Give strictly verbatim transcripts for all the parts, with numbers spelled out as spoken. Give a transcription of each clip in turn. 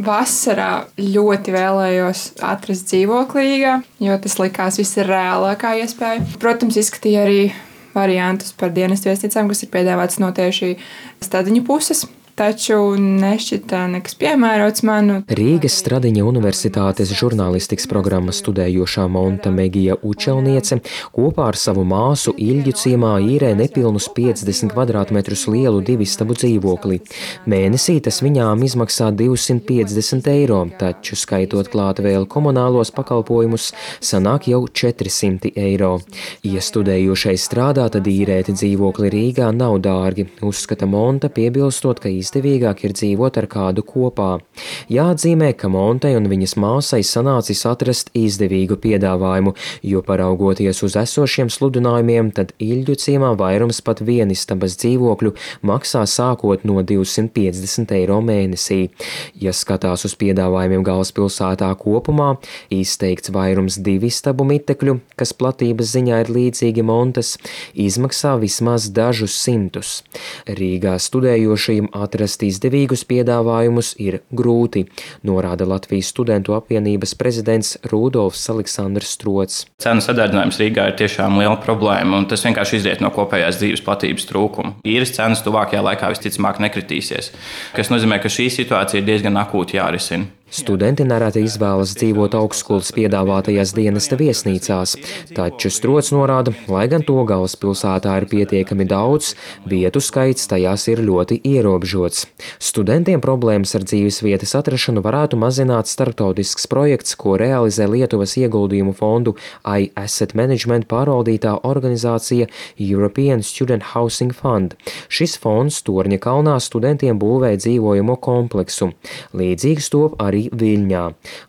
vasarā ļoti vēlējos atrast dzīvokli Rīgā, jo tas likās visreālākā iespēja. Protams, izskatīja arī variantus par dienestu viesnīcām, kas ir piedāvāts no tieši Stadiņu puses. Taču nešķita nekas piemērots man. Rīgas Stradiņa Universitātes žurnālistikas programmas studējošā Monta Megija Učelniece kopā ar savu māsu Iļģu ciemā īrē nepilnus piecdesmit kvadrātmetrus lielu divistabu dzīvokli. Mēnesī tas viņām izmaksā divsimt piecdesmit eiro, taču skaitot klāt vēl komunālos pakalpojumus, sanāk jau četri simti eiro. Ja studējošais strādā, tad īrēt dzīvokli Rīgā nav dārgi, uzskata Monta, piebilstot, ka izdevīgāk ir dzīvot ar kādu kopā. Jāatzīmē, ka Montai un viņas māsai sanācis atrast izdevīgu piedāvājumu, jo paraugoties uz esošiem sludinājumiem, tad Iļģu ciemā vairums pat vienistabas dzīvokļu maksā sākot no divsimt piecdesmit eiro mēnesī. Ja skatās uz piedāvājumiem galvaspilsētā kopumā, izteikts vairums divistabu mitekļu, kas platības ziņā ir līdzīgi Montas, izmaksā vismaz dažus simtus. Rīgā studējošajiem atrast Atrast izdevīgus piedāvājumus ir grūti, norāda Latvijas studentu apvienības prezidents Rudolfs Aleksandrs Strots. Cenu sadārdzinājums Rīgā ir tiešām liela problēma, un tas vienkārši izriet no kopējās dzīves platības trūkuma. Īres cenas tuvākajā laikā visticamāk nekritīsies, kas nozīmē, ka šī situācija ir diezgan akūti jārisina. Studenti nereti izvēlas dzīvot augstskolas piedāvātajās dienesta viesnīcās, taču Strots norāda, lai gan to galvaspilsētā ir pietiekami daudz, vietu skaits tajās ir ļoti ierobežots. Studentiem problēmas ar dzīves vietas atrašanu varētu mazināt starptautisks projekts, ko realizē Lietuvas ieguldījumu fondu iAsset Management pārvaldītā organizācija European Student Housing Fund. Šis fonds Torņa kalnā studentiem būvē dzīvojamo kompleksu. Līdzīgs top arī Viļņā.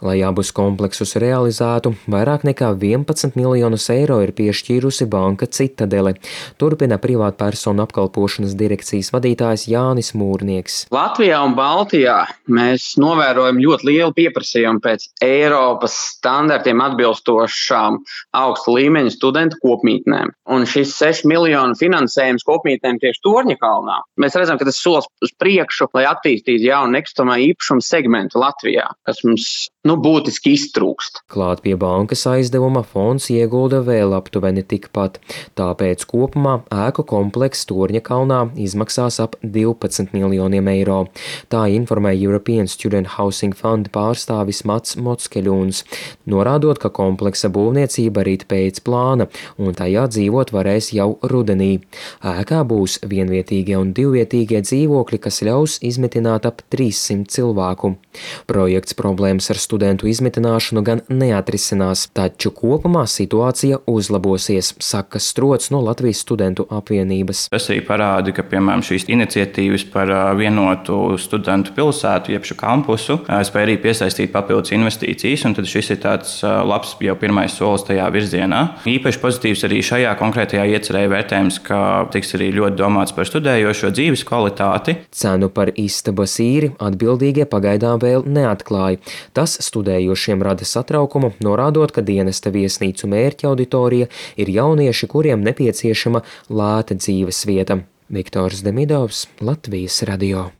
Lai abus kompleksus realizētu, vairāk nekā vienpadsmit miljonus eiro ir piešķīrusi banka Citadele, turpina privātpersonu apkalpošanas direkcijas vadītājs Jānis Mūrnieks. Latvijā un Baltijā mēs novērojam ļoti lielu pieprasījumu pēc Eiropas standartiem atbilstošām augsta līmeņa studentu kopmītnēm. Un šis sešu miljonu finansējums kopmītnēm tieši Torņa kalnā, mēs redzam, ka tas solis uz priekšu, lai attīstītu jaunu nekustamā īpašuma segmentu Latvijā, kas mums nu, būtiski iztrūkst. Klāt pie bankas aizdevuma fonds iegulda vēl aptuveni tikpat, tāpēc kopumā ēku komplekss Torņa kalnā izmaksās ap divpadsmit miljoniem eiro. Tā informē European Student Housing Fund pārstāvis Mats Mockeļuns, norādot, ka kompleksa būvniecība rit pēc plāna, un tajā dzīvot varēs jau rudenī. Ēkā būs vienvietīgie un divvietīgie dzīvokļi, kas ļaus izmitināt ap trīssimt cilvēku. Projekts problēmas ar studentu izmitināšanu gan neatrisinās, taču kopumā situācija uzlabosies, saka Strots no Latvijas studentu apvienības. Tas arī parāda, ka, piemēram, šīs iniciatīvas par vienotu studentu pilsētu, jeb šo kampusu, spēj arī piesaistīt papildus investīcijas, un tad šis ir tāds labs jau pirmais solis tajā virzienā. Īpaši pozitīvs arī šajā konkrētajā iecerē vērtējums, ka tiks arī ļoti domāts par studējošo dzīves kvalitāti. Cenu par istabas īri atbildīgie pagaidām vēl neatklāja. Tas studējošiem rada satraukumu, norādot, ka dienesta viesnīcu mērķa auditorija ir jaunieši, kuriem nepieciešama lēta dzīves vieta. Viktors Demidovs, Latvijas radio.